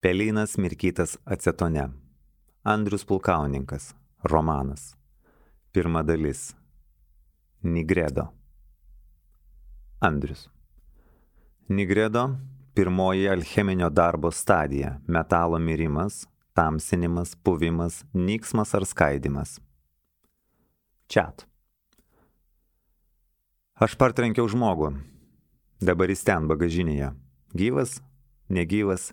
Pelynas mirkytas acetone. Andrius Pulkauninkas. Romanas. Pirma dalis. Nigredo. Andrius. Nigredo – pirmoji alcheminio darbo stadija – metalo mirimas, tamsinimas, puvimas, nyksmas ar skaidimas. Čiat. Aš partrenkiau žmogų. Dabar jis ten bagažinėje. Gyvas, negyvas,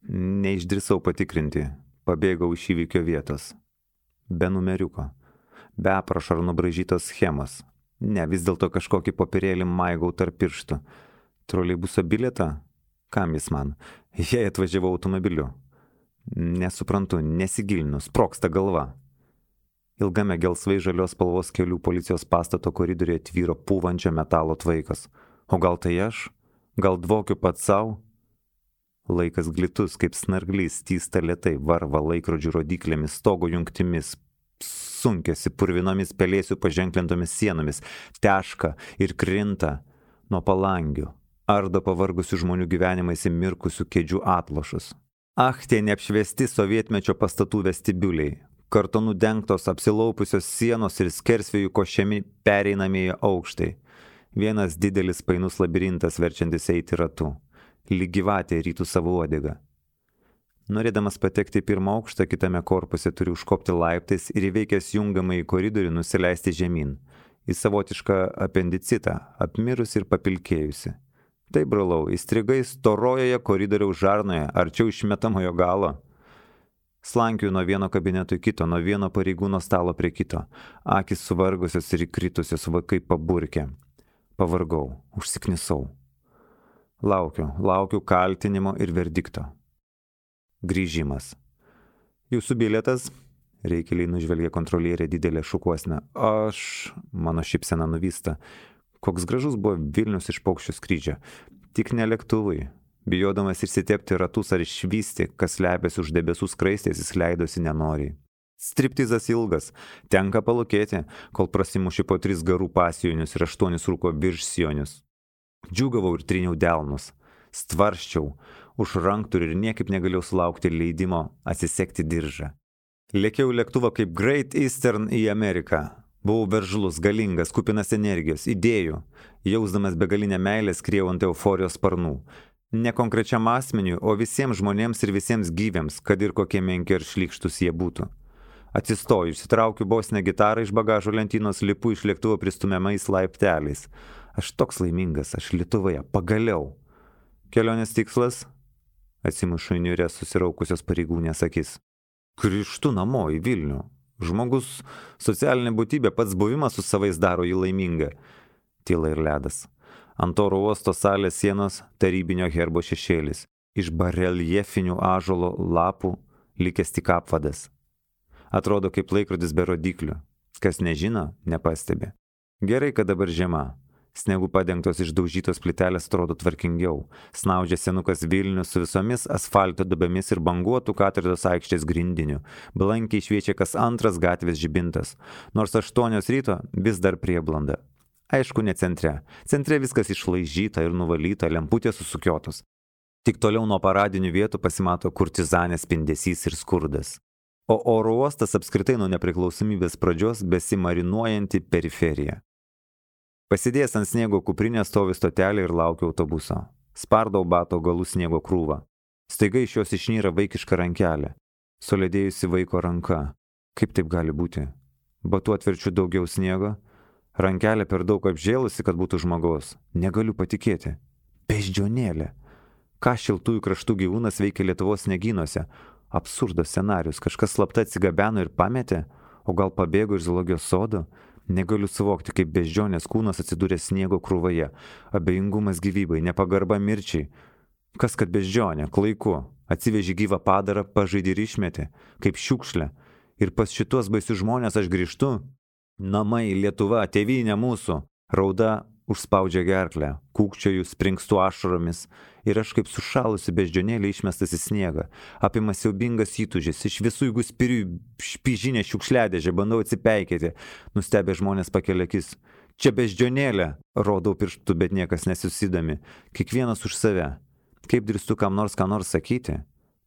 neišdrįsau patikrinti. Pabėgau iš įvykio vietos. Be numeriuko. Be aprašo ar nubraižytos schemos. Ne, vis dėlto kažkokį popierėlį maigau tarp pirštų. Troleibuso bilietą? Kam jis man? Jei atvažiavau automobiliu. Nesuprantu, nesigilinu, sprogsta galva. Ilgame gelsvai žalios spalvos kelių policijos pastato koridoriuje tvyro pūvančio metalo tvaikas. O gal tai aš? Gal dvokiu pats savo? Laikas glitus, kaip snarglys, tysta lėtai, varva laikrodžių rodiklėmis, stogo jungtimis, sunkiasi purvinomis pelėsių paženklintomis sienomis, teška ir krinta nuo palangių, ardo pavargusių žmonių gyvenimais įmirkusių kėdžių atlošus. Tie neapšviesti sovietmečio pastatų vestibiuliai, kartonų dengtos apsilaupusios sienos ir skersvėjų košiami pereinamieji aukštai. Vienas didelis painus labirintas verčiantis eiti ratu. Lyg gyvatė rytų savo uodegą. Norėdamas patekti į pirmą aukštą, kitame korpuse turi užkopti laiptais ir įveikęs jungamą į koridorių nusileisti žemyn, į savotišką apendicitą, apmirus ir papilkėjusi. Tai, brolau, įstrigai storojoje koridoriaus žarnoje, arčiau išmetamojo galo. Slankiu nuo vieno kabineto į kito, nuo vieno pareigūno stalo prie kito, akis suvargusios ir įkritusios vaikai paburkė. Pavargau, užsiknisau. Laukiu kaltinimo ir verdikto. Grįžimas. Jūsų bilietas? Reikeliai nužvelgė kontrolierė didelę šukuosnę. Mano šypsena nuvysta. Koks gražus buvo Vilnius iš paukščio skrydžio. Tik ne lėktuvai. Bijodamas išsitepti ratus ar išvysti, kas slepiasi už debesų skraistės, jis leidosi nenoriai. Striptizas ilgas. Tenka palūkėti, kol prasimuši po 3 garų pasijonius ir 8 rūko viršsijonius. Džiūgavau ir triniau delnus. Stvarščiau už rankturių ir niekaip negalėjau sulaukti leidimo atsisekti diržą. Lėkiau lėktuvą kaip Great Eastern į Ameriką. Buvau veržlus, galingas, kupinas energijos, idėjų. Jausdamas begalinę meilę skriejau ant euforijos sparnų. Ne konkrečiam asmeniui, o visiems žmonėms ir visiems gyviams, kad ir kokie menki ar šlykštus jie būtų. Atsistoju, išsitraukiu bosinę gitarą iš bagažo lentynos, lipu iš lėktuvo pristumiamais laipteliais. Aš toks laimingas, aš Lietuvoje, pagaliau. Kelionės tikslas? Atsimušu į niūrės susiraukusios pareigūnės akis. Grįžtu namo į Vilnių. Žmogus, socialinė būtybė, pats buvimas su savais daro jį laimingą. Tyla ir ledas. Ant oro uosto salės sienos tarybinio herbo šešėlis. Iš bareljefinių ąžuolo lapų likęs tik apvadas. Atrodo kaip laikrodis be rodiklių. Kas nežino, nepastebi. Gerai, kad dabar žiema. Snegu padengtos išdaužytos plytelės atrodo tvarkingiau. Snaudžia senukas Vilnius su visomis asfalto duobėmis ir banguotų katedros aikštės grindiniu. Blankiai šviečia kas antras gatvės žibintas. Nors 8 ryto vis dar prieblanda. Aišku, ne centre. Centre viskas išlaižyta ir nuvalyta, lemputės susukiotos. Tik toliau nuo paradinių vietų pasimato kurtizanės spindesys ir skurdas. O oro uostas apskritai nuo nepriklausomybės pradžios besimarinuojanti periferija. Pasidėjęs ant sniego kuprinę stovi stotelė ir laukiu autobuso. Spardau bato galų sniego krūvą. Staiga iš jos išnyra vaikiška rankelė. Suledėjusi vaiko ranka. Kaip taip gali būti? Batu atverčiu daugiau sniego. Rankelė per daug apžėlusi, kad būtų žmogaus. Negaliu patikėti. Beždžionėlė. Ką šiltųjų kraštų gyvūnas veikia Lietuvos sniegynuose? Absurdo scenarius. Kažkas slapta atsigabeno ir pametė? O gal pabėgo iš zoologijos sodo? Negaliu suvokti, kaip beždžionės kūnas atsidūrė sniego krūvoje. Abejingumas gyvybai, nepagarba mirčiai. Kas kad beždžionė, klaiku. Atsiveži gyvą padarą, pažaidį ir išmetė. Kaip šiukšlė. Ir pas šitos baisius žmonės aš grįžtu. Namai, Lietuva, tėvynė mūsų. Rauda užspaudžia gerklę. Kūkčioju, springstu ašaromis. Ir aš kaip sušalusi beždžionėlė išmestas į sniegą. Apima siaubingas įtūžis. Iš visų jeigu spiriu špižinę šiukšliadėžę, bandau atsipeikėti. Nustebę žmonės pakelia akis. Čia beždžionėlė. Rodau pirštu, bet niekas nesusidami. Kiekvienas už save. Kaip drįstu kam nors ką nors sakyti?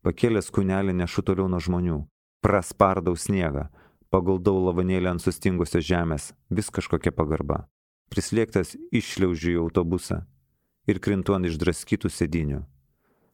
Pakėlęs kūnelį nešu toliau nuo žmonių. Praspardau sniegą. Paguldau lavanėlį ant sustingusios žemės. Vis kažkokia pagarba. Prislėgtas iššliaužiu į autobusą ir krintu ant išdraskytų sėdinių.